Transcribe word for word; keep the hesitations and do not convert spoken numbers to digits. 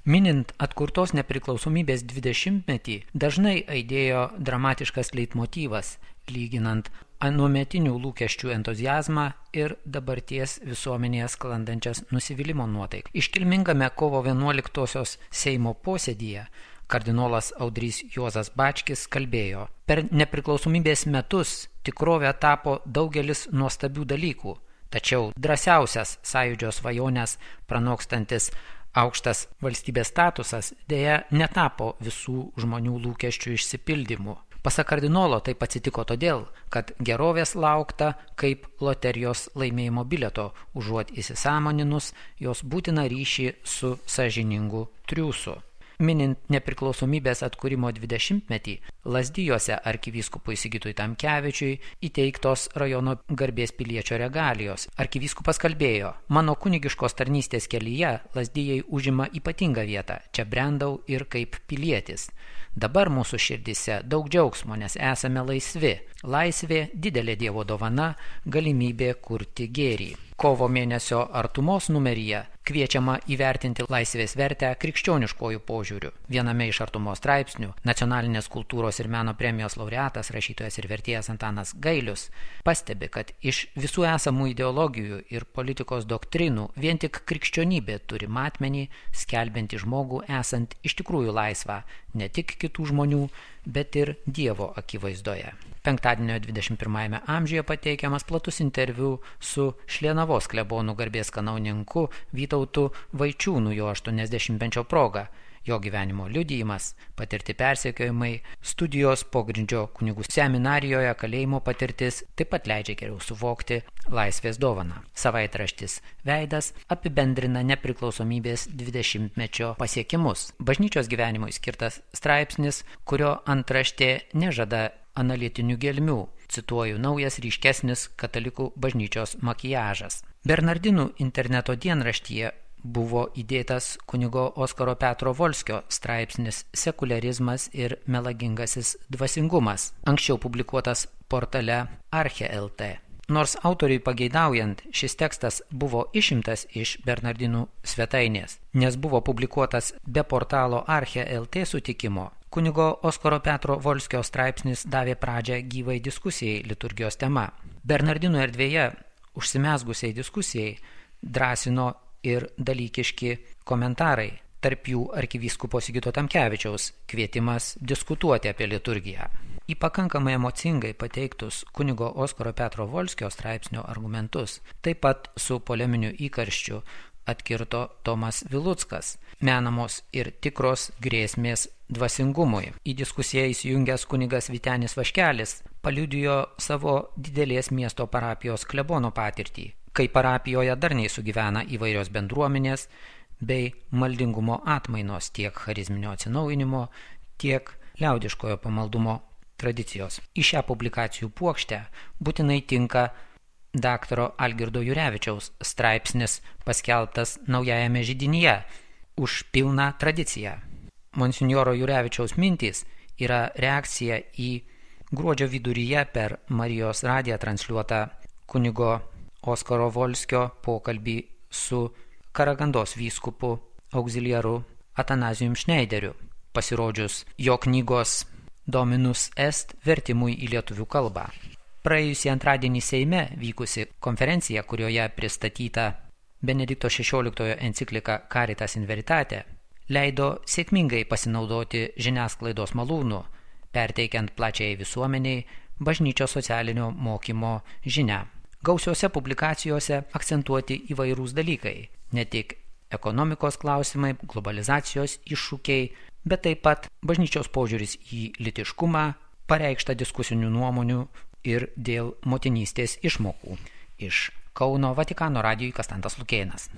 Minint atkurtos nepriklausomybės dvidešimtmetį, dažnai aidėjo dramatiškas leitmotyvas, lyginant anuometinių lūkesčių entuziazmą ir dabarties visuomenėje sklandančias nusivylimo nuotaikas. Iškilmingame kovo vienuoliktosios Seimo posėdyje kardinolas Audrys Juozas Bačkis kalbėjo: per nepriklausomybės metus tikrovė tapo daugelis nuostabių dalykų, tačiau drąsiausias sąjūdžio svajonės pranokstantis aukštas valstybės statusas dėja netapo visų žmonių lūkesčių išsipildymu. Pasak kardinolo taip atsitiko todėl, kad gerovės laukta kaip loterijos laimėjimo bilieto, užuot įsisąmoninus jos būtiną ryšį su sąžiningu triūsu. Minint nepriklausomybės atkūrimo dvidešimtmetį, Lazdijuose arkivyskupui Sigitui Tamkevičiui įteiktos rajono garbės piliečio regalijos. Arkivyskupas kalbėjo: mano kunigiškos tarnystės kelyje Lazdijai užima ypatingą vietą, čia brendau ir kaip pilietis. Dabar mūsų širdise daug džiaugsmo, nes esame laisvi. Laisvė didelė Dievo dovana, galimybė kurti gėrį. Kovo mėnesio artumos numeryje kviečiama įvertinti laisvės vertę krikščioniškojų požiūrių. Viename iš artumos straipsnių nacionalinės kultūros ir meno premijos laureatas, rašytojas ir vertėjas Antanas Gailius pastebi, kad iš visų esamų ideologijų ir politikos doktrinų vien tik krikščionybė turi matmenį, skelbiantį žmogų esant iš tikrųjų laisvą, ne tik kitų žmonių, bet ir Dievo akivaizdoje. Penktadienio dvidešimt pirmajame amžiuje pateikiamas platus interviu su Šlienavos klebonų garbės kanauninku Vytautu Vaičiūnu jo aštuoniasdešimtmečio proga. Jo gyvenimo liudijimas, patirti persekiojimai, studijos pogrindžio kunigų seminarijoje, kalėjimo patirtis taip pat leidžia geriau suvokti laisvės dovaną. Savaitraštis Veidas apibendrina nepriklausomybės dvidešimtmečio pasiekimus. Bažnyčios gyvenimui skirtas straipsnis, kurio antraštė nežada analitinių gelmių. Cituoju: naujas ryškesnis katalikų bažnyčios makiažas. Bernardinų interneto dienraštyje buvo įdėtas kunigo Oskaro Petro Volskio straipsnis Sekuliarizmas ir melagingasis dvasingumas, anksčiau publikuotas portale Arche L T. Nors autoriui pageidaujant, šis tekstas buvo išimtas iš Bernardinų svetainės, nes buvo publikuotas be portalo Arche L T sutikimo, kunigo Oskaro Petro Volskio straipsnis davė pradžią gyvai diskusijai liturgijos tema. Bernardinų erdvėje užsimezgusiai diskusijai drąsino ir dalykiški komentarai, tarp jų arkivyskupo Sigito Tamkevičiaus kvietimas diskutuoti apie liturgiją. Į pakankamai emocingai pateiktus kunigo Oskaro Petro Volskio straipsnio argumentus, taip pat su poleminiu įkarščiu atkirto Tomas Viluckas, menamos ir tikros grėsmės dvasingumui. Į diskusiją įsijungęs kunigas Vytenis Vaškelis paliudijo savo didelės miesto parapijos klebono patirtį, kai parapijoje darniai sugyvena įvairios bendruomenės bei maldingumo atmainos, tiek charizminio atsinaujinimo, tiek liaudiškojo pamaldumo tradicijos. Į šią publikacijų puokštę būtinai tinka daktaro Algirdo Jurevičiaus straipsnis paskelbtas Naujajame židinyje už pilną tradiciją. Monsinjoro Jurevičiaus mintys yra reakcija į gruodžio viduryje per Marijos radiją transliuotą kunigo Oskaro Volskio pokalbį su Karagandos vyskupu auxiliaru Atanazijum Šneideriu, pasirodžius jo knygos Dominus Est vertimui į lietuvių kalbą. Praėjusį antradienį Seime vykusi konferencija, kurioje pristatyta Benedikto šešioliktojo enciklika Caritas in Veritate, leido sėkmingai pasinaudoti žiniasklaidos malūnu, perteikiant plačiai visuomeniai bažnyčios socialinio mokymo žinią. Gausiose publikacijose akcentuoti įvairūs dalykai, ne tik ekonomikos klausimai, globalizacijos iššūkiai, bet taip pat bažnyčios požiūris į lytiškumą, pareikšta diskusinių nuomonių ir dėl motinystės išmokų. Iš Kauno Vatikano radijui Kastantas Lukėnas.